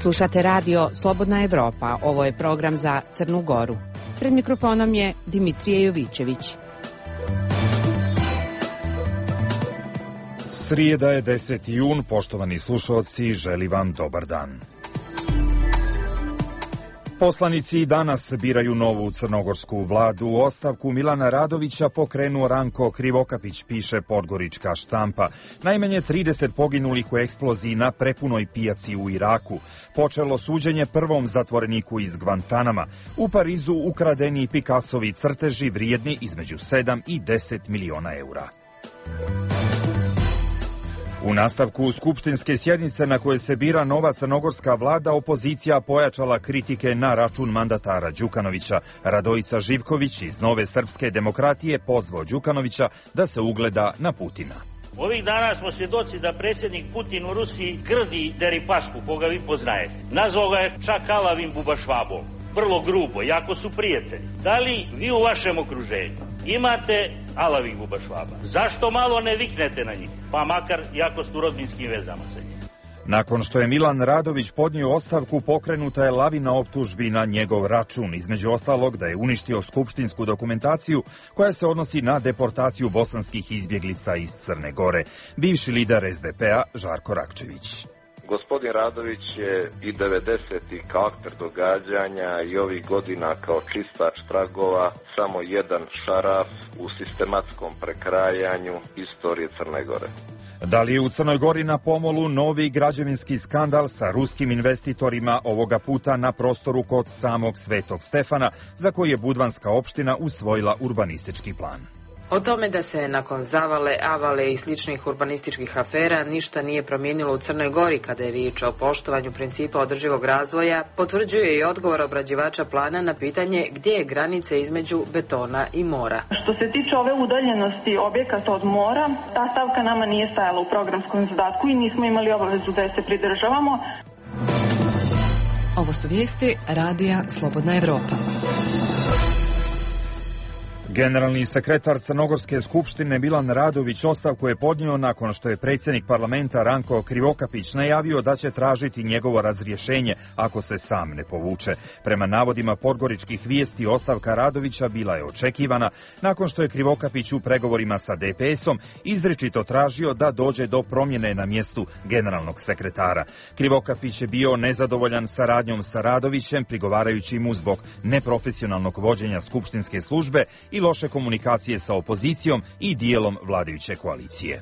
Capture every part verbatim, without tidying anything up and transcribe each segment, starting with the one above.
Slušate radio Slobodna Evropa. Ovo je program za Crnu Goru. Pred mikrofonom je Dimitrije Jovićević. Srijeda je deseti jun, poštovani slušalci, želim vam dobar dan. Poslanici danas biraju novu crnogorsku vladu. U ostavku Milana Radovića pokrenuo Ranko Krivokapić, piše Podgorička štampa. Najmanje trideset poginulih u eksploziji na prepunoj pijaci u Iraku. Počelo suđenje prvom zatvoreniku iz Gvantanama. U Parizu ukradeni Picassovi crteži vrijedni između sedam i deset miliona eura. U nastavku skupštinske sjednice na koje se bira nova crnogorska vlada, opozicija pojačala kritike na račun mandatara Đukanovića. Radojica Živković iz Nove srpske demokratije pozvao Đukanovića da se ugleda na Putina. Ovih dana smo svjedoci da predsjednik Putin u Rusiji grdi Deripašku, koga vi poznajete. Nazvao ga je čak alavim bubašvabom. Vrlo grubo, jako su prijatelji. Da li vi u vašem okruženju imate alavih bubašvaba? Zašto malo ne viknete na njih? Pa makar jako su u rodbinskim vezama sa njim. Nakon što je Milan Radović podnio ostavku, pokrenuta je lavina optužbi na njegov račun. Između ostalog da je uništio skupštinsku dokumentaciju koja se odnosi na deportaciju bosanskih izbjeglica iz Crne Gore. Bivši lider es de pe a Žarko Rakčević. Gospodin Radović je i devedesetih kao akter događanja i ovih godina kao čistač tragova samo jedan šaraf u sistematskom prekrajanju istorije Crne Gore. Da li je u Crnoj Gori na pomolu novi građevinski skandal sa ruskim investitorima, ovoga puta na prostoru kod samog Svetog Stefana, za koji je Budvanska opština usvojila urbanistički plan? O tome da se nakon zavale, avale i sličnih urbanističkih afera ništa nije promijenilo u Crnoj Gori kada je riječ o poštovanju principa održivog razvoja, potvrđuje i odgovor obrađivača plana na pitanje gdje je granica između betona i mora. Što se tiče ove udaljenosti objekata od mora, ta stavka nama nije stajala u programskom zadatku i nismo imali obavezu da je se pridržavamo. Ovo su vijesti radija Slobodna Evropa. Generalni sekretar Crnogorske skupštine Milan Radović ostavku je podnio nakon što je predsjednik parlamenta Ranko Krivokapić najavio da će tražiti njegovo razrješenje ako se sam ne povuče. Prema navodima podgoričkih vijesti, ostavka Radovića bila je očekivana nakon što je Krivokapić u pregovorima sa de pe esom izričito tražio da dođe do promjene na mjestu generalnog sekretara. Krivokapić je bio nezadovoljan saradnjom sa Radovićem, prigovarajući mu zbog neprofesionalnog vođenja skupštinske službe i loše komunikacije sa opozicijom i dijelom vladajuće koalicije.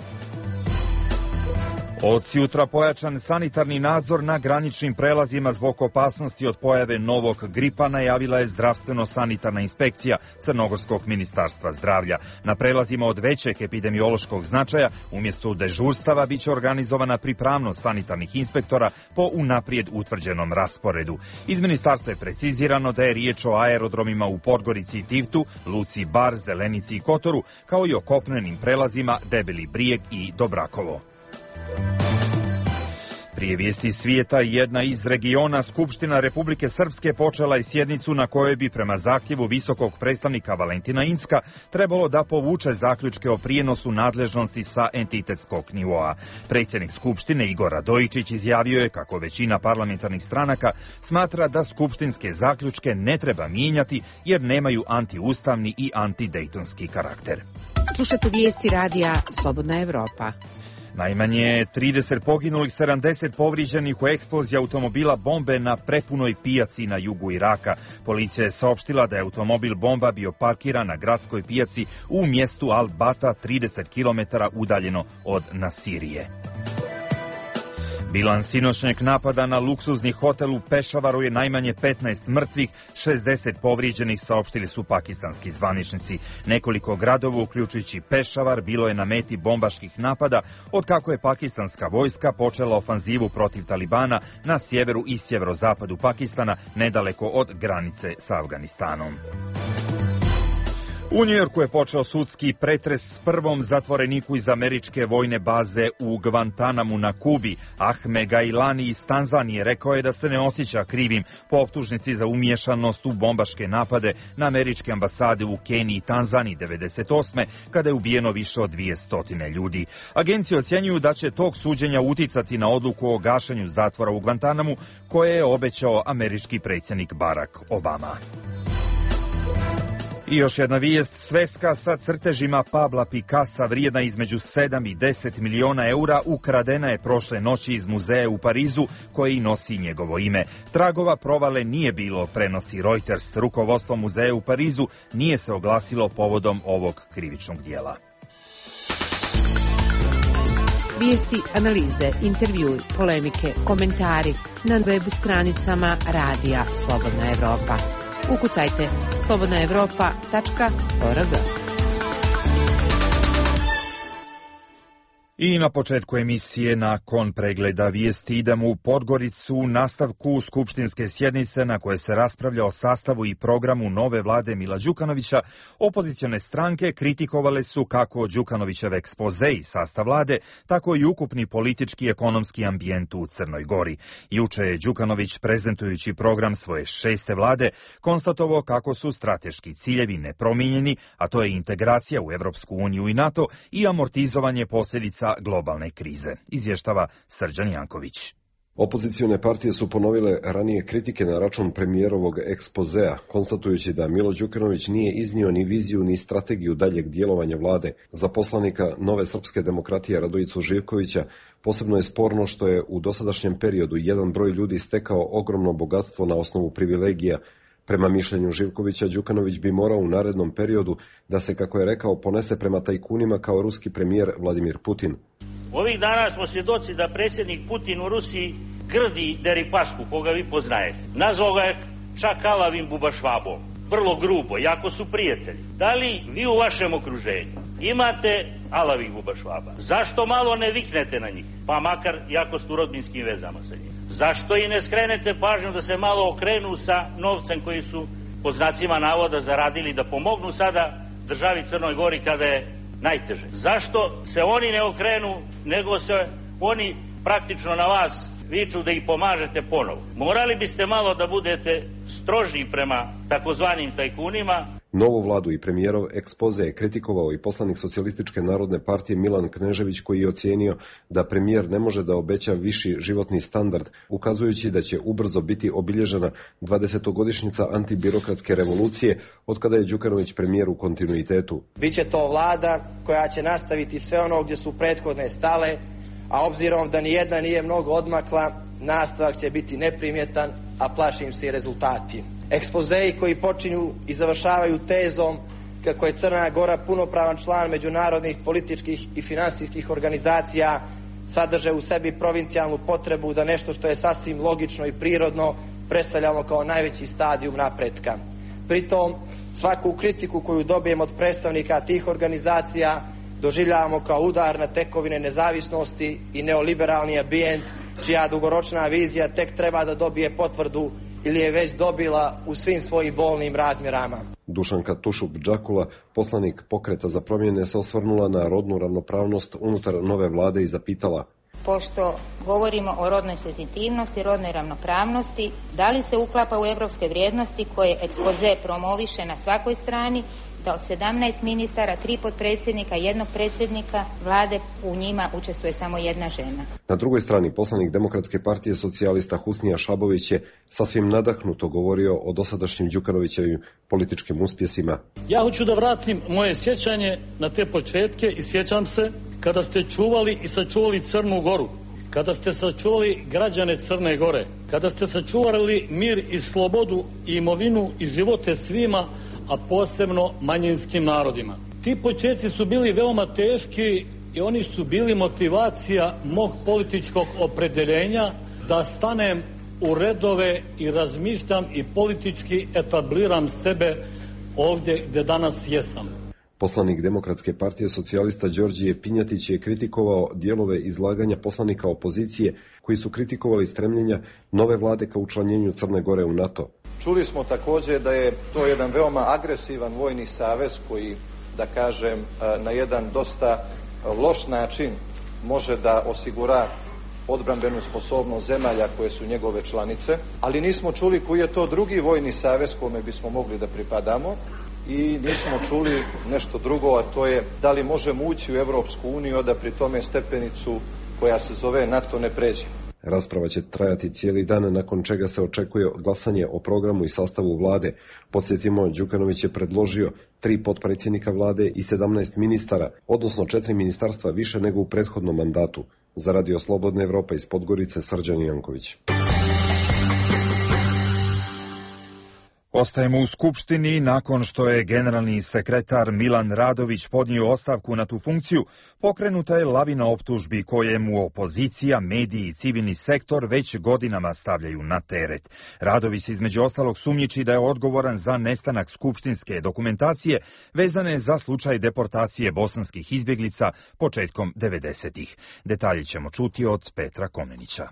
Od sjutra pojačan sanitarni nadzor na graničnim prelazima zbog opasnosti od pojave novog gripa najavila je zdravstveno-sanitarna inspekcija Crnogorskog ministarstva zdravlja. Na prelazima od većeg epidemiološkog značaja umjesto dežurstava biće organizovana pripravnost sanitarnih inspektora po unaprijed utvrđenom rasporedu. Iz ministarstva je precizirano da je riječ o aerodromima u Podgorici i Tivtu, Luci Bar, Zelenici i Kotoru, kao i o kopnenim prelazima Debeli Brijeg i Dobrakovo. Prije vijesti svijeta, jedna iz regiona, Skupština Republike Srpske počela je sjednicu na kojoj bi prema zahtjevu visokog predstavnika Valentina Incka trebalo da povuče zaključke o prijenosu nadležnosti sa entitetskog nivoa. Predsjednik Skupštine Igor Radojičić izjavio je kako većina parlamentarnih stranaka smatra da skupštinske zaključke ne treba mijenjati jer nemaju antiustavni i antidejtonski karakter. Slušate vijesti radija Slobodna Evropa. Najmanje trideset poginulih, sedamdeset povrijeđenih u eksploziji automobila bombe na prepunoj pijaci na jugu Iraka. Policija je saopštila da je automobil bomba bio parkiran na gradskoj pijaci u mjestu Al-Bata, trideset kilometara udaljeno od Nasirije. Bilans sinoćnjeg napada na luksuzni hotel u Pešavaru je najmanje petnaest mrtvih, šezdeset povrijeđenih, saopštili su pakistanski zvaničnici. Nekoliko gradova, uključujući Pešavar, bilo je na meti bombaških napada od kako je pakistanska vojska počela ofanzivu protiv Talibana na sjeveru i sjeverozapadu Pakistana, nedaleko od granice sa Afganistanom. U Njujorku je počeo sudski pretres s prvom zatvoreniku iz američke vojne baze u Gvantanamu na Kubi. Ahmed Gailani iz Tanzanije rekao je da se ne osjeća krivim po optužnici za umiješanost u bombaške napade na američke ambasade u Keniji i Tanzaniji devedeset osme kada je ubijeno više od dvjesto ljudi. Agencije ocjenjuju da će tog suđenja uticati na odluku o gašenju zatvora u Gvantanamu koje je obećao američki predsjednik Barack Obama. I još jedna vijest, sveska sa crtežima Pabla Picassa vrijedna između sedam i deset miliona eura ukradena je prošle noći iz muzeja u Parizu koji nosi njegovo ime. Tragova provale nije bilo, prenosi Reuters. Rukovodstvo muzeja u Parizu nije se oglasilo povodom ovog krivičnog dijela. Vijesti, analize, intervjui, polemike, komentari na web stranicama Radija Slobodna Evropa. Ukucajte slobodna evropa tačka org. I na početku emisije, nakon pregleda vijesti, idemo u Podgoricu u nastavku skupštinske sjednice na koje se raspravlja o sastavu i programu nove vlade Mila Đukanovića. Opozicione stranke kritikovale su kako Đukanovićev ekspoze i sastav vlade, tako i ukupni politički i ekonomski ambijent u Crnoj Gori. Juče je Đukanović, prezentujući program svoje šeste vlade, konstatovao kako su strateški ciljevi nepromijenjeni, a to je integracija u Evropsku uniju i NATO i amortizovanje posljedica globalne krize, izvještava Srđan Janković. Opozicione partije su ponovile ranije kritike na račun premijerovog ekspozea, konstatujući da Milo Đukanović nije iznio ni viziju ni strategiju daljeg djelovanja vlade. Za poslanika Nove srpske demokratije Radojicu Živkovića posebno je sporno što je u dosadašnjem periodu jedan broj ljudi stekao ogromno bogatstvo na osnovu privilegija. Prema mišljenju Živkovića, Đukanović bi morao u narednom periodu da se, kako je rekao, ponese prema tajkunima kao ruski premijer Vladimir Putin. Ovih dana smo svjedoci da predsjednik Putin u Rusiji grdi Deripašku, koga vi poznajete. Nazvao ga je čak alavim bubašvabom. Vrlo grubo, jako su prijatelji. Da li vi u vašem okruženju imate alavih bubašvaba? Zašto malo ne viknete na njih? Pa makar jako ste u rodbinskim vezama sa njim. Zašto i ne skrenete pažnju da se malo okrenu sa novcem koji su po znacima navoda zaradili da pomognu sada državi Crnoj Gori kada je najteže? Zašto se oni ne okrenu, nego se oni praktično na vas viču da ih pomažete ponovo? Morali biste malo da budete stroži prema takozvanim tajkunima. Novu vladu i premijerov ekspoze je kritikovao i poslanik Socijalističke narodne partije Milan Knežević, koji je ocijenio da premijer ne može da obeća viši životni standard, ukazujući da će ubrzo biti obilježena dvadesetogodišnjica antibirokratske revolucije od kada je Đukanović premijer u kontinuitetu. Biće to vlada koja će nastaviti sve ono gdje su prethodne stale, a obzirom da nijedna nije mnogo odmakla, nastavak će biti neprimjetan, a plašim se i rezultati. Ekspozeji koji počinju i završavaju tezom kako je Crna Gora punopravan član međunarodnih političkih i finansijskih organizacija sadrže u sebi provincijalnu potrebu da nešto što je sasvim logično i prirodno predstavljamo kao najveći stadijum napretka. Pritom, svaku kritiku koju dobijemo od predstavnika tih organizacija doživljavamo kao udar na tekovine nezavisnosti i neoliberalni ambijent čija dugoročna vizija tek treba da dobije potvrdu ili je već dobila u svim svojim bolnim razmjerama. Dušanka Tušup-Đakula, poslanik Pokreta za promjene, se osvrnula na rodnu ravnopravnost unutar nove vlade i zapitala: pošto govorimo o rodnoj senzitivnosti, rodnoj ravnopravnosti, da li se uklapa u evropske vrijednosti koje ekspoze promoviše na svakoj strani, da od sedamnaest ministara, tri potpredsjednika, jednog predsjednika vlade, u njima učestvuje samo jedna žena. Na drugoj strani, poslanik Demokratske partije socijalista Husnija Šabović je sasvim nadahnuto govorio o dosadašnjim Đukanovićevim političkim uspjesima. Ja hoću da vratim moje sjećanje na te početke i sjećam se kada ste čuvali i sačuvali Crnu Goru, kada ste sačuvali građane Crne Gore, kada ste sačuvali mir i slobodu i imovinu i živote svima, a posebno manjinskim narodima. Ti početci su bili veoma teški i oni su bili motivacija mog političkog opredeljenja da stanem u redove i razmišljam i politički etabliram sebe ovdje gdje danas jesam. Poslanik Demokratske partije socijalista Đorđije Pinjatić je kritikovao dijelove izlaganja poslanika opozicije koji su kritikovali stremljenja nove vlade ka učlanjenju Crne Gore u NATO. Čuli smo također da je to jedan veoma agresivan vojni savez koji, da kažem, na jedan dosta loš način može da osigura odbrambenu sposobnost zemalja koje su njegove članice, ali nismo čuli koji je to drugi vojni savez kome bismo mogli da pripadamo i nismo čuli nešto drugo, a to je da li možemo ući u Evropsku uniju, da pri tome stepenicu koja se zove NATO ne pređe. Rasprava će trajati cijeli dan, nakon čega se očekuje glasanje o programu i sastavu vlade. Podsjetimo, Đukanović je predložio tri potpredsjednika vlade i sedamnaest ministara, odnosno četiri ministarstva više nego u prethodnom mandatu. Za Radio Slobodna Evropa iz Podgorice, Srđan Janković. Ostajemo u Skupštini. Nakon što je generalni sekretar Milan Radović podnio ostavku na tu funkciju, pokrenuta je lavina optužbi koje mu opozicija, mediji i civilni sektor već godinama stavljaju na teret. Radović se između ostalog sumnjiči da je odgovoran za nestanak skupštinske dokumentacije vezane za slučaj deportacije bosanskih izbjeglica početkom devedesetih. Detalje ćemo čuti od Petra Komenića.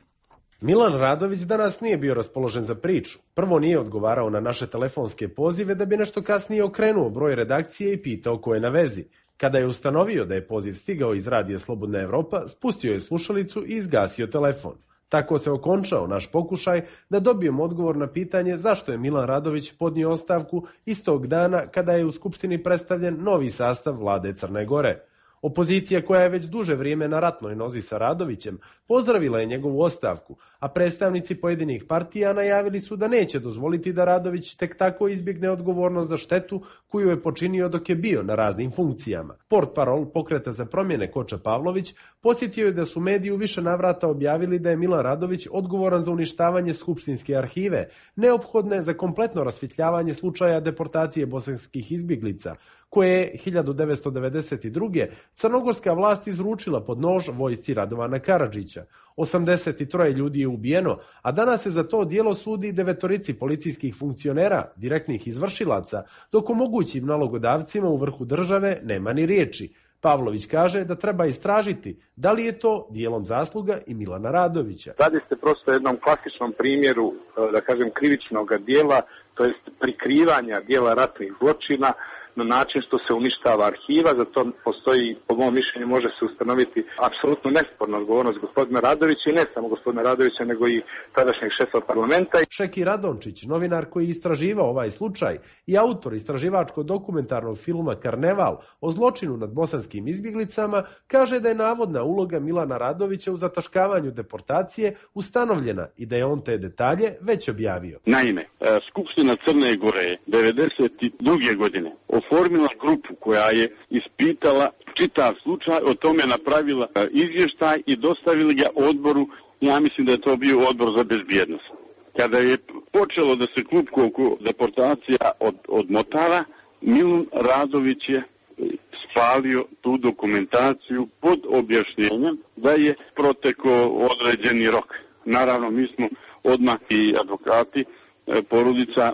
Milan Radović danas nije bio raspoložen za priču. Prvo nije odgovarao na naše telefonske pozive, da bi nešto kasnije okrenuo broj redakcije i pitao ko je na vezi. Kada je ustanovio da je poziv stigao iz Radija Slobodna Evropa, spustio je slušalicu i izgasio telefon. Tako se okončao naš pokušaj da dobijemo odgovor na pitanje zašto je Milan Radović podnio ostavku istog dana kada je u Skupštini predstavljen novi sastav vlade Crne Gore. Opozicija, koja je već duže vrijeme na ratnoj nozi sa Radovićem, pozdravila je njegovu ostavku, a predstavnici pojedinih partija najavili su da neće dozvoliti da Radović tek tako izbjegne odgovornost za štetu koju je počinio dok je bio na raznim funkcijama. Portparol Pokreta za promjene Koča Pavlović podsjetio je da su mediji u više navrata objavili da je Milan Radović odgovoran za uništavanje skupštinske arhive, neophodne za kompletno rasvjetljavanje slučaja deportacije bosanskih izbjeglica, koje je hiljadu devetsto devedeset druge. crnogorska vlast izručila pod nož vojsci Radovana Karadžića. osamdeset troje ljudi je ubijeno, a danas se za to djelo sudi devetorici policijskih funkcionera, direktnih izvršilaca, dok o mogućim nalogodavcima u vrhu države nema ni riječi. Pavlović kaže da treba istražiti da li je to dijelom zasluga i Milana Radovića. Radi se prosto jednom klasičnom primjeru, da kažem, krivičnog dijela, to jest prikrivanja dijela ratnih zločina na način što se uništava arhiva. Za to postoji, po mom mišljenju, može se ustanoviti apsolutno nesporna odgovornost gospodina Radovića i ne samo gospodina Radovića, nego i tadašnjeg šefa parlamenta. Šeki Radončić, novinar koji je istraživao ovaj slučaj i autor istraživačko-dokumentarnog filma Karneval o zločinu nad bosanskim izbjeglicama, kaže da je navodna uloga Milana Radovića u zataškavanju deportacije ustanovljena i da je on te detalje već objavio. Naime, Skupština Crne Gore devedeset druge godine oformila grupu koja je ispitala čitav slučaj, o tome napravila izvještaj i dostavili ga odboru, ja mislim da je to bio odbor za bezbjednost. Kada je počelo da se klupko oko deportacija od, odmotava, Milan Radović je spalio tu dokumentaciju pod objašnjenjem da je protekao određeni rok. Naravno, mi smo odmah i advokati, porodica,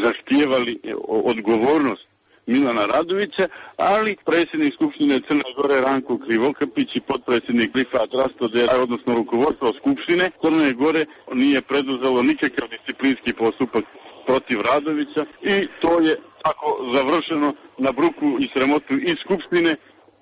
zahtijevali odgovornost Milana Radovića, ali predsjednik Skupštine Crne Gore Ranko Krivokapić i potpredsjednik Rifat Rastode, odnosno rukovodstvo Skupštine Crne Gore, nije preduzelo nikakav disciplinski postupak protiv Radovića i to je tako završeno na bruku i sramotu i Skupštine,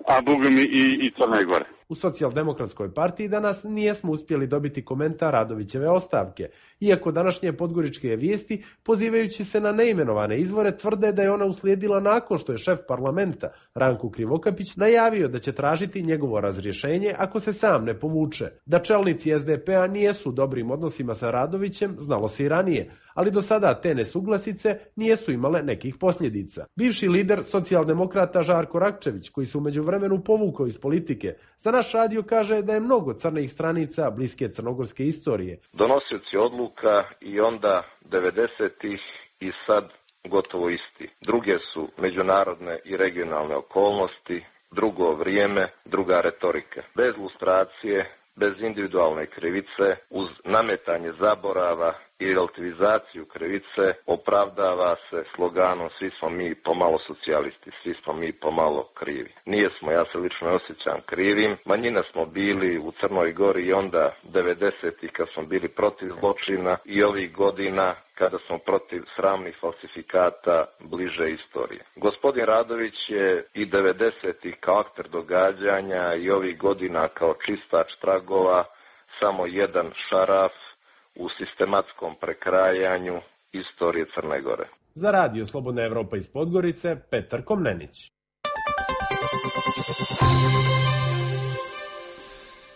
a bogami i, i Crne Gore. U Socijaldemokratskoj partiji danas nijesmo uspjeli dobiti komentar Radovićeve ostavke, iako današnje podgoričke vijesti, pozivajući se na neimenovane izvore, tvrde da je ona uslijedila nakon što je šef parlamenta, Ranko Krivokapić, najavio da će tražiti njegovo razrješenje ako se sam ne povuče. Da čelnici es de pe a nijesu u dobrim odnosima sa Radovićem, znalo se i ranije, ali do sada te nesuglasice nijesu imale nekih posljedica. Bivši lider socijaldemokrata Žarko Rakčević, koji se u međuvremenu povukao iz politike, za naš radio kaže da je mnogo crnih stranica bliske crnogorske istorije. Donosioci odluka i onda devedesetih i sad gotovo isti. Druge su međunarodne i regionalne okolnosti, drugo vrijeme, druga retorika. Bez lustracije, bez individualne krivice, uz nametanje zaborava i relativizaciju krivice opravdava se sloganom svi smo mi pomalo socijalisti, svi smo mi pomalo krivi. Nije smo, ja se lično osjećam krivim. Manjina smo bili u Crnoj Gori i onda devedesetih kad smo bili protiv zločina i ovih godina kada smo protiv sramnih falsifikata bliže istorije. Gospodin Radović je i devedesetih kao akter događanja i ovih godina kao čistač tragova samo jedan šaraf u sistematskom prekrajanju istorije Crne Gore. Za Radio Slobodna Evropa iz Podgorice, Petar Komnenić.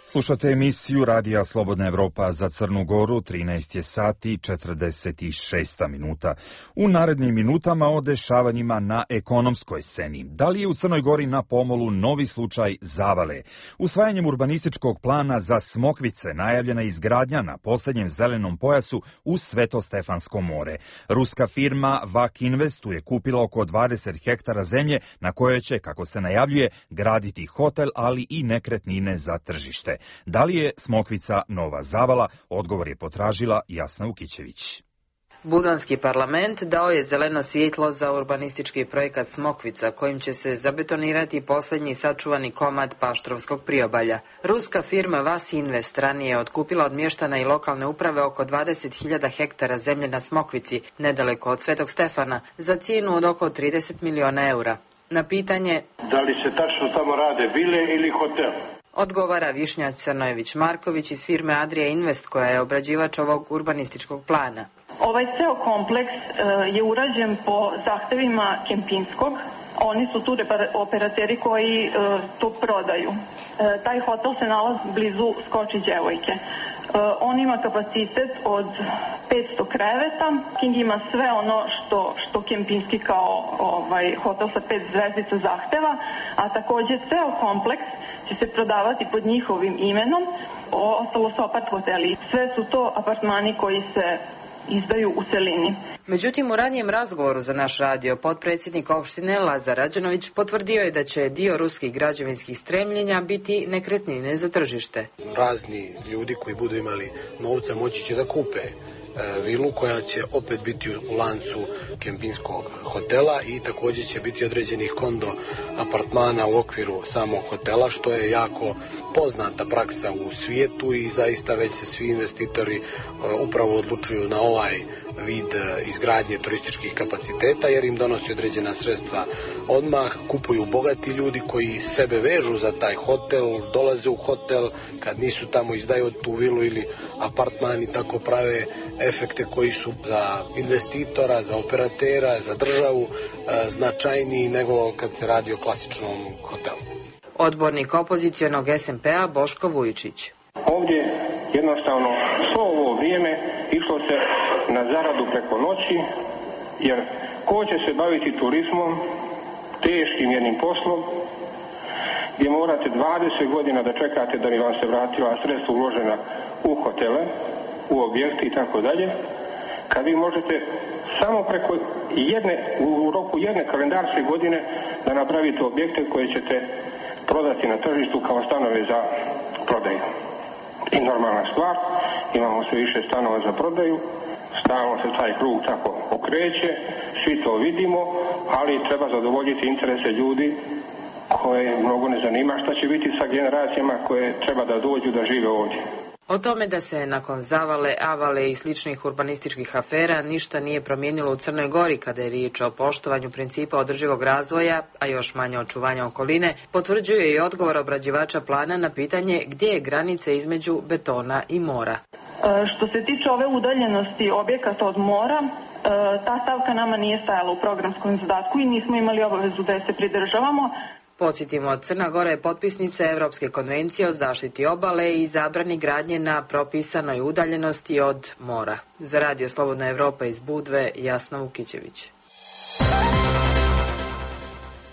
Slušate emisiju Radija Slobodna Evropa za Crnu Goru, trinaest je sati četrdeset šest minuta. U narednim minutama o dešavanjima na ekonomskoj sceni. Da li je u Crnoj Gori na pomolu novi slučaj zavale? Usvajanjem urbanističkog plana za Smokvice najavljena izgradnja na posljednjem zelenom pojasu uz Sveto-Stefansko more. Ruska firma Vak Investu je kupila oko dvadeset hektara zemlje na kojoj će, kako se najavljuje, graditi hotel, ali i nekretnine za tržište. Da li je Smokvica nova zavala? Odgovor je potražila Jasna Ukićević. Budanski parlament dao je zeleno svjetlo za urbanistički projekat Smokvica, kojim će se zabetonirati posljednji sačuvani komad Paštrovskog priobalja. Ruska firma Vas Invest ranije je otkupila od mještana i lokalne uprave oko dvadeset hiljada hektara zemlje na Smokvici, nedaleko od Svetog Stefana, za cijenu od oko trideset miliona eura. Na pitanje da li se tačno tamo rade vile ili hotel, odgovara Višnja Crnojević-Marković iz firme Adria Invest, koja je obrađivač ovog urbanističkog plana. Ovaj ceo kompleks uh, je urađen po zahtevima Kempinskog. Oni su tu operateri koji uh, to prodaju. Uh, taj hotel se nalazi blizu Skoči Đevojke. Uh, on ima kapacitet od petsto kreveta. King ima sve ono što, što Kempinski kao ovaj, hotel sa pet zvezdica zahteva, a također ceo kompleks će se prodavati pod njihovim imenom. Ostalo su apart hoteli. Sve su to apartmani koji se izdaju u celini. Međutim, u ranijem razgovoru za naš radio potpredsjednik opštine Lazar Rađanović potvrdio je da će dio ruskih građevinskih stremljenja biti nekretnine za tržište. Razni ljudi koji budu imali novca moći će da kupe vilu koja će opet biti u lancu Kempinskog hotela i također će biti određenih kondo apartmana u okviru samog hotela, što je jako poznata praksa u svijetu i zaista već se svi investitori upravo odlučuju na ovaj vid izgradnje turističkih kapaciteta jer im donosi određena sredstva odmah, kupuju bogati ljudi koji sebe vežu za taj hotel, dolaze u hotel, kad nisu tamo izdaju tu vilu ili apartman i tako prave efekte koji su za investitora, za operatera, za državu značajniji nego kad se radi o klasičnom hotelu. Odbornik opozicijonog es em pe a Boško Vujičić. Ovdje jednostavno svo ovo vrijeme išlo se na zaradu preko noći, jer ko će se baviti turizmom, teškim jednim poslom, gdje morate dvadeset godina da čekate da bi vam se vratila sredstva uložena u hotele, u objekti i tako dalje, kad vi možete samo preko jedne, u roku jedne kalendarske godine da napravite objekte koje ćete prodati na tržištu kao stanove za prodaju. I normalna stvar, imamo sve više stanova za prodaju, stalno se taj krug tako okreće, svi to vidimo, ali treba zadovoljiti interese ljudi koje mnogo ne zanima šta će biti sa generacijama koje treba da dođu da žive ovdje. O tome da se nakon zavale, avale i sličnih urbanističkih afera ništa nije promijenilo u Crnoj Gori kada je riječ o poštovanju principa održivog razvoja, a još manje očuvanja okoline, potvrđuje i odgovor obrađivača plana na pitanje gdje je granica između betona i mora. Što se tiče ove udaljenosti objekata od mora, ta stavka nama nije stajala u programskom zadatku i nismo imali obavezu da je se pridržavamo. Podsjetimo, Crna Gora je potpisnica Evropske konvencije o zaštiti obale i zabrani gradnje na propisanoj udaljenosti od mora. Za Radio Slobodna Evropa iz Budve, Jasna Vukićević.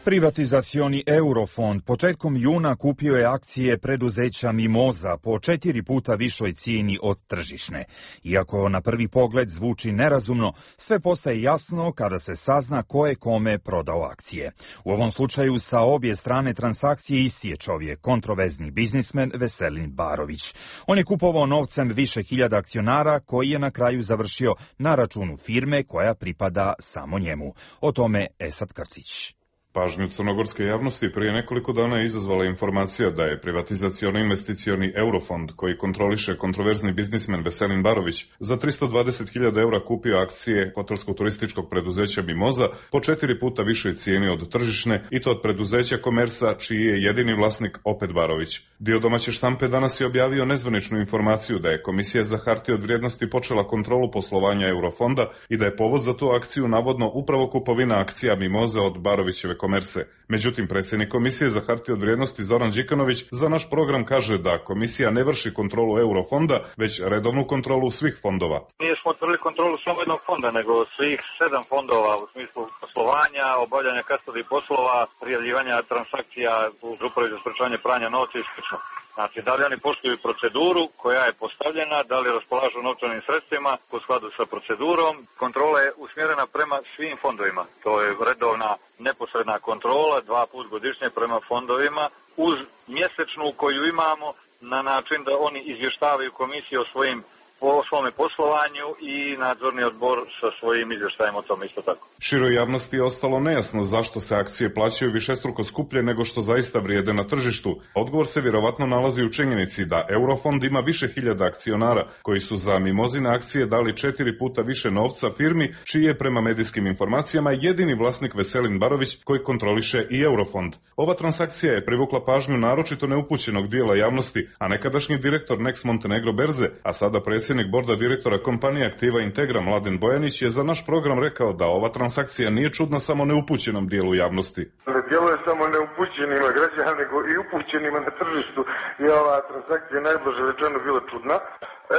Privatizacioni Eurofond početkom juna kupio je akcije preduzeća Mimoza po četiri puta višoj cijeni od tržišne. Iako na prvi pogled zvuči nerazumno, sve postaje jasno kada se sazna ko je kome prodao akcije. U ovom slučaju sa obje strane transakcije isti je čovjek, kontroverzni biznismen Veselin Barović. On je kupovao novcem više hiljada akcionara koji je na kraju završio na računu firme koja pripada samo njemu. O tome Esad Krcić. Pažnju crnogorske javnosti prije nekoliko dana je izazvala informacija da je privatizaciono-investicioni Eurofond, koji kontroliše kontroverzni biznismen Veselin Barović, za tristo dvadeset hiljada eura kupio akcije hotelsko-turističkog preduzeća Mimoza po četiri puta višoj cijeni od tržišne, i to od preduzeća Komersa, čiji je jedini vlasnik opet Barović. Dio domaće štampe danas je objavio nezvaničnu informaciju da je Komisija za hartije od vrijednosti počela kontrolu poslovanja Eurofonda i da je povod za tu akciju navodno upravo kupovina akcija Mimoze od Barovićeve Komerse. Međutim, predsjednik Komisije za hartije od vrijednosti Zoran Đikanović za naš program kaže da Komisija ne vrši kontrolu Eurofonda, već redovnu kontrolu svih fondova. Nije smo otvorili kontrolu samo jednog fonda, nego svih sedam fondova u smislu poslovanja, obavljanja kastodi poslova, prijavljivanja transakcija u Upravi za sprečavanje pranja novca i slično. Znači, da li oni poštuju proceduru koja je postavljena, da li raspolažu novčanim sredstvima u skladu sa procedurom. Kontrola je usmjerena prema svim fondovima. To je redovna neposredna kontrola, dva put godišnje prema fondovima, uz mjesečnu koju imamo na način da oni izvještavaju komisiju o svojim po svome poslovanju i nadzorni odbor sa svojim izvještajem o tome isto tako. Široj javnosti je ostalo nejasno zašto se akcije plaćaju višestruko skuplje nego što zaista vrijede na tržištu. Odgovor se vjerovatno nalazi u činjenici da Eurofond ima više hiljada akcionara koji su za Mimozine akcije dali četiri puta više novca firmi čiji je prema medijskim informacijama jedini vlasnik Veselin Barović koji kontroliše i Eurofond. Ova transakcija je privukla pažnju naročito neupućenog dijela javnosti, a nekadašnji direktor Next Montenegro berze, a sada predsjednik borda direktora kompanije Aktiva Integra Mladen Bojanić je za naš program rekao da ova transakcija nije čudna samo neupućenom dijelu javnosti. Ne djeluje samo neupućenima građana, nego i upućenima na tržištu je ova transakcija najblaže rečeno bila čudna.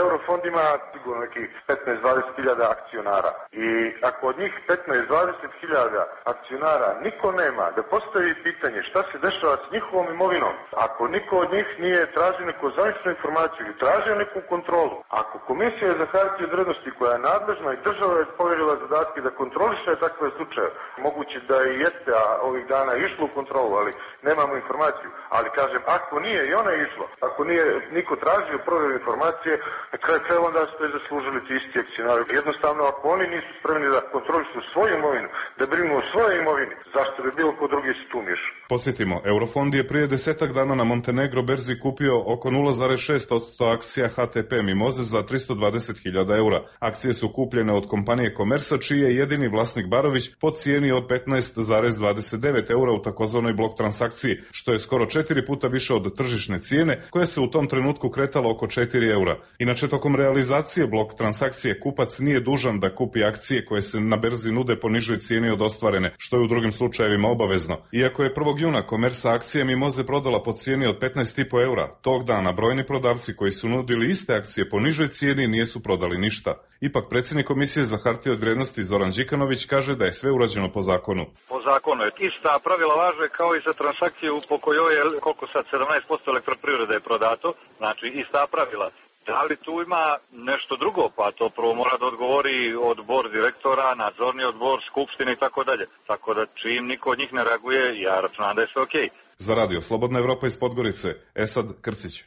Eurofond ima sigurno nekih petnaest do dvadeset hiljada akcionara i ako od njih petnaest do dvadeset hiljada akcionara niko nema da postavi pitanje šta se dešava s njihovom imovinom, ako niko od njih nije tražio neku zvaničnu informaciju ili tražio neku kontrolu, ako Komisija za hartije od vrijednosti koja je nadležna i država je povjerila zadatke da kontroliše takve slučaje, moguće da i jeste, a ovih dana je išlo u kontrolu, ali nemamo informaciju, ali kažem, ako nije i ona je išlo, ako nije niko tražio provjeru informacije, na kraju krajeva onda ste zaslužili ti isti akcionari. Jednostavno, ako oni nisu spremni da kontrolišu svoju imovinu, da brinu o svojoj imovini, zašto bi bilo ko drugi se tu mišao? Posjetimo, Eurofond je prije desetak dana na Montenegro berzi kupio oko nula zarez šest posto akcija H T P Mimoze za tristo dvadeset hiljada eura. Akcije su kupljene od kompanije Komersa, čiji je jedini vlasnik Barović, po cijeni od petnaest zarez dvadeset devet eura u takozvanoj blok transakciji, što je skoro četiri puta više od tržišne cijene, koja se u tom trenutku kretala oko četiri eura. Inače, tokom realizacije blok transakcije kupac nije dužan da kupi akcije koje se na berzi nude po nižoj cijeni od ostvarene, što je u drugim slučajevima obavezno. Iako je prvog juna Komersa akcije Mimoze prodala po cijeni od petnaest zarez pet eura, tog dana brojni prodavci koji su nudili iste akcije po nižoj cijeni nisu prodali ništa. Ipak predsjednik Komisije za hartije od vrijednosti Zoran Đikanović kaže da je sve urađeno po zakonu. Po zakonu je. Ista pravila važe kao i za transakciju po kojoj je, koliko sad, sedamnaest posto elektroprivrede je prodato, znači ista pravila. Da li tu ima nešto drugo? Pa to prvo mora da odgovori odbor direktora, nadzorni odbor, skupštine i tako dalje. Tako da čim niko od njih ne reaguje, ja računam da je sve okej. Za radio Slobodna Evropa iz Podgorice, Esad Krcić.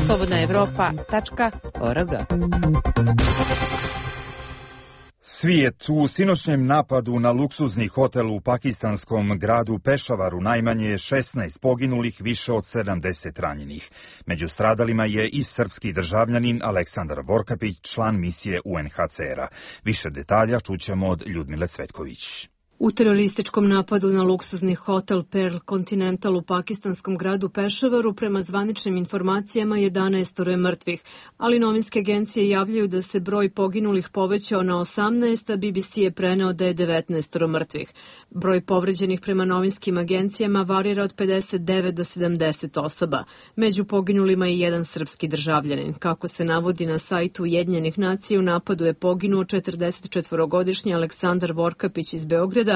slobodna evropa tačka org. Svijet u sinoćnjem napadu na luksuzni hotel u pakistanskom gradu Pešavaru najmanje je šesnaest poginulih, više od sedamdeset ranjenih. Među stradalima je i srpski državljanin Aleksandar Vorkapić, član misije U N H C R-a. Više detalja čućemo od Ljudmile Cvetković. U terorističkom napadu na luksuzni hotel Pearl Continental u pakistanskom gradu Pešavaru prema zvaničnim informacijama jedanaest je mrtvih, ali novinske agencije javljaju da se broj poginulih povećao na osamnaest, a B B C je preneo da je devetnaest mrtvih. Broj povređenih prema novinskim agencijama varira od pedeset devet do sedamdeset osoba. Među poginulima je jedan srpski državljanin. Kako se navodi na sajtu Ujedinjenih nacija, u napadu je poginuo četrdesetčetvorogodišnji Aleksandar Vorkapić iz Beograda,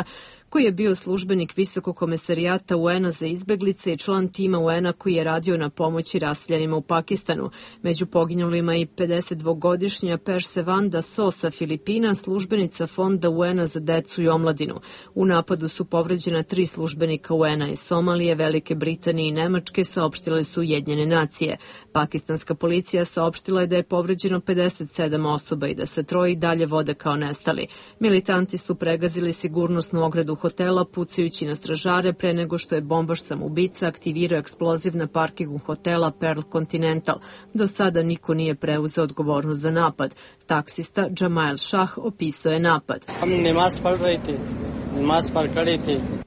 koji je bio službenik Visokog komesarijata U N-a za izbeglice i član tima U N-a koji je radio na pomoći raseljenima u Pakistanu. Među poginulima i pedesetdvogodišnja Persevanda So sa Filipina, službenica Fonda U N-a za decu i omladinu. U napadu su povređena tri službenika U N-a iz Somalije, Velike Britanije i Nemačke, saopštile su Ujedinjene nacije. Pakistanska policija saopštila je da je povređeno pedeset sedam osoba i da se troje i dalje vode kao nestali. Militanti su pregazili sigurnosnu ogradu hotela pucajući na stražare pre nego što je bombaš samoubica aktivirao eksploziv na parkingu hotela Pearl Continental. Do sada niko nije preuzeo odgovornost za napad. Taksista Jamail Shah opisao je napad.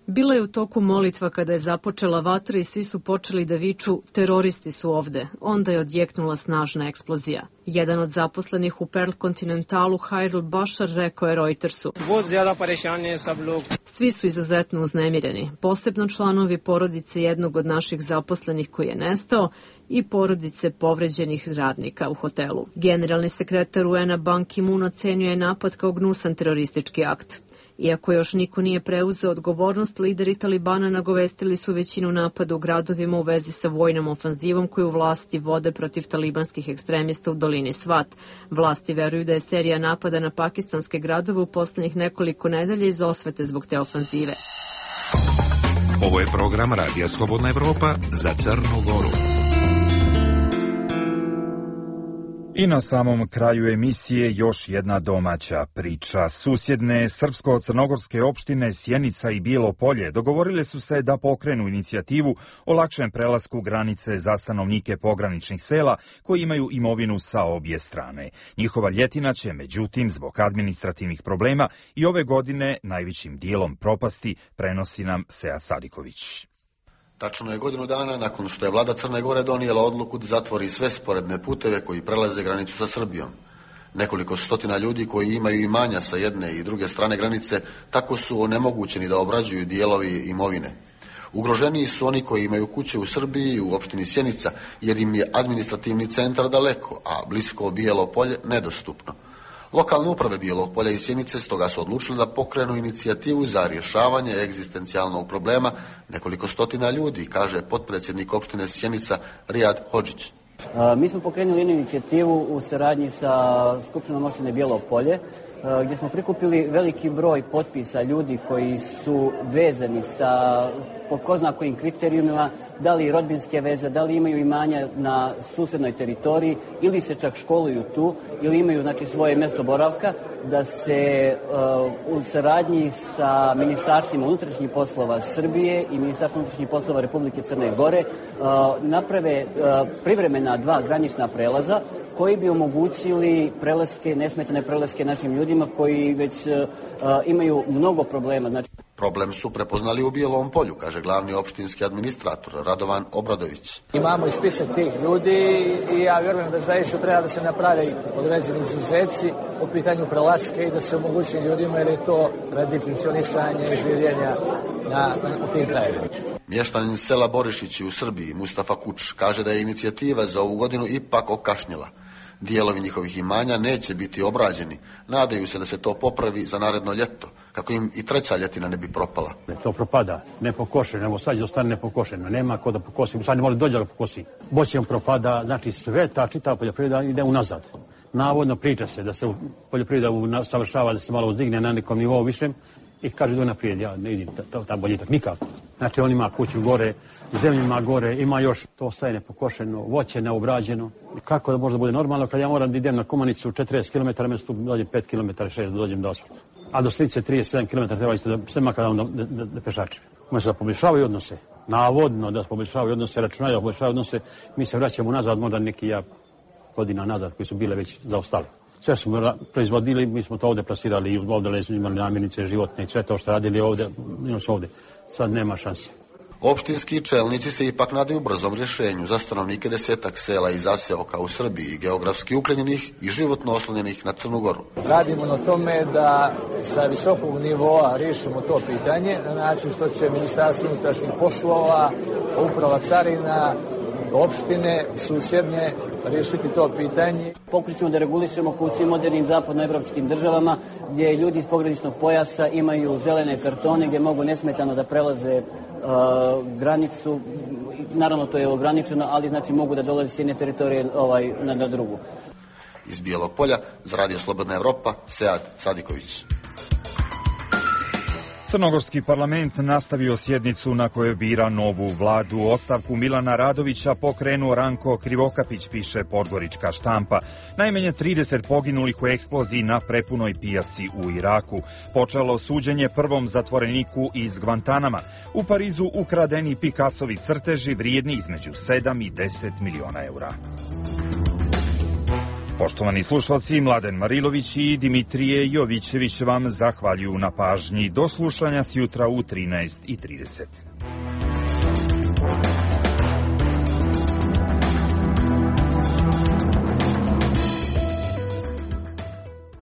Bila je u toku molitva kada je započela vatra i svi su počeli da viču teroristi su ovde. Onda je odjeknula snažna eksplozija. Jedan od zaposlenih u Pearl Continentalu, Hairul Bashar, rekao je Reutersu. Svi su izuzetno uznemireni, posebno članovi porodice jednog od naših zaposlenih koji je nestao i porodice povređenih radnika u hotelu. Generalni sekretar U N-a Ban Ki-moon ocenjuje napad kao gnusan teroristički akt. Iako još niko nije preuzeo odgovornost, lideri Talibana nagovestili su većinu napada u gradovima u vezi sa vojnom ofanzivom koju vlasti vode protiv talibanskih ekstremista u dolini Svat. Vlasti veruju da je serija napada na pakistanske gradove u poslednjih nekoliko nedelja iz osvete zbog te ofanzive. Ovo je program Radija Slobodna Evropa za Crnu Goru. I na samom kraju emisije još jedna domaća priča. Susjedne srpsko-crnogorske opštine Sjenica i Bijelo Polje dogovorile su se da pokrenu inicijativu o lakšem prelasku granice za stanovnike pograničnih sela koji imaju imovinu sa obje strane. Njihova ljetina će, međutim, zbog administrativnih problema i ove godine najvećim dijelom propasti, prenosi nam Sead Sadiković. Tačno je godinu dana nakon što je vlada Crne Gore donijela odluku da zatvori sve sporedne puteve koji prelaze granicu sa Srbijom. Nekoliko stotina ljudi koji imaju imanja sa jedne i druge strane granice tako su onemogućeni da obrađuju dijelovi imovine. Ugroženiji su oni koji imaju kuće u Srbiji u opštini Sjenica jer im je administrativni centar daleko, a blisko Bijelo Polje nedostupno. Lokalne uprave Bijelog Polja i Sjenice stoga su odlučili da pokrenu inicijativu za rješavanje egzistencijalnog problema nekoliko stotina ljudi, kaže potpredsjednik opštine Sjenica Rijad Hodžić. Mi smo pokrenuli jednu inicijativu u saradnji sa Skupštinom opštine Bijelo Polje, gdje smo prikupili veliki broj potpisa ljudi koji su vezani sa po ko zna kojim kriterijumima, da li rodbinske veze, da li imaju imanja na susednoj teritoriji ili se čak školuju tu ili imaju znači svoje mjesto boravka, da se uh, u saradnji sa ministarstvima unutrašnjih poslova Srbije i ministarstvom unutrašnjih poslova Republike Crne Gore uh, naprave uh, privremena dva granična prelaza koji bi omogućili prelaske, nesmetane prelaske našim ljudima koji već uh, imaju mnogo problema. Znači... Problem su prepoznali u Bijelom Polju, kaže glavni opštinski administrator Radovan Obradović. Imamo i spisak tih ljudi i ja vjerujem da zaista treba da se napravi određeni izuzeci u pitanju prelaske i da se omogući ljudima jer je to radi funkcionisanja i življenja na, na, u tim krajevima. Mještanin sela Borišići u Srbiji, Mustafa Kuč, kaže da je inicijativa za ovu godinu ipak okašnjela. Dijelovi njihovih imanja neće biti obrađeni. Nadaju se da se to popravi za naredno ljeto, kako im i treća ljetina ne bi propala. To propada, ne pokošeno, evo sad ostane nepokošeno, nema ko da pokosi, sad ne može dođe da pokosi. Boćem propada, znači sve ta čitava poljoprivreda ide unazad. Navodno priča se da se poljoprivreda savršava, da se malo uzdigne na nekom nivou višem i kaže do naprijed, ja ne vidim tam boljitak nikako. Znači on ima kuću gore, zemlju ima gore, ima još, to ostaje nepokošeno, voće neobrađeno. Kako da možda bude normalno kad ja moram da idem na Komanicu četrdeset kilometara, mjesto dođem pet kilometara, šest da dođem do asfalta. A do Slice trideset sedam kilometara treba isto da sve makar da, da, da, da pešačim. Umjesto da poboljšavaju odnose, navodno da poboljšavaju odnose, računaju da poboljšavaju odnose, mi se vraćamo nazad, možda neki ja godina nazad koji su bile već zaostali. Sve smo proizvodili, mi smo to ovdje plasirali i ovdje smo imali namirnice životne i sve to što radili ovdje, imamo se ovdje. Sad nema šanse. Opštinski čelnici se ipak nadaju brzom rješenju za stanovnike desetak sela i zaseoka u Srbiji, geografski uklenjenih i životno oslonjenih na Crnu Goru. Radimo na tome da sa visokog nivoa riješimo to pitanje na način što će Ministarstvo unutrašnjih poslova, Uprava carina, opštine susjedne riješiti to pitanje. Pokušat ćemo da regulišemo kao u svim modernim zapadnoevropskim državama gdje ljudi iz pograničnog pojasa imaju zelene kartone gdje mogu nesmetano da prelaze uh, granicu. Naravno to je ograničeno, ali znači mogu da dolaze s jedne teritorije ovaj, na, na drugu. Iz Bijelog Polja za Radio Slobodna Evropa, Sead Sadiković. Crnogorski parlament nastavio sjednicu na kojoj bira novu vladu. Ostavku Milana Radovića pokrenuo Ranko Krivokapić, piše Podgorička štampa. Najmanje trideset poginulih u eksploziji na prepunoj pijaci u Iraku. Počelo suđenje prvom zatvoreniku iz Gvantanama. U Parizu ukradeni Picassovi crteži vrijedni između sedam i deset miliona eura. Poštovani slušalci, Mladen Marilović i Dimitrije Jovićević vam zahvaljuju na pažnji. Do slušanja sjutra u trinaest i trideset.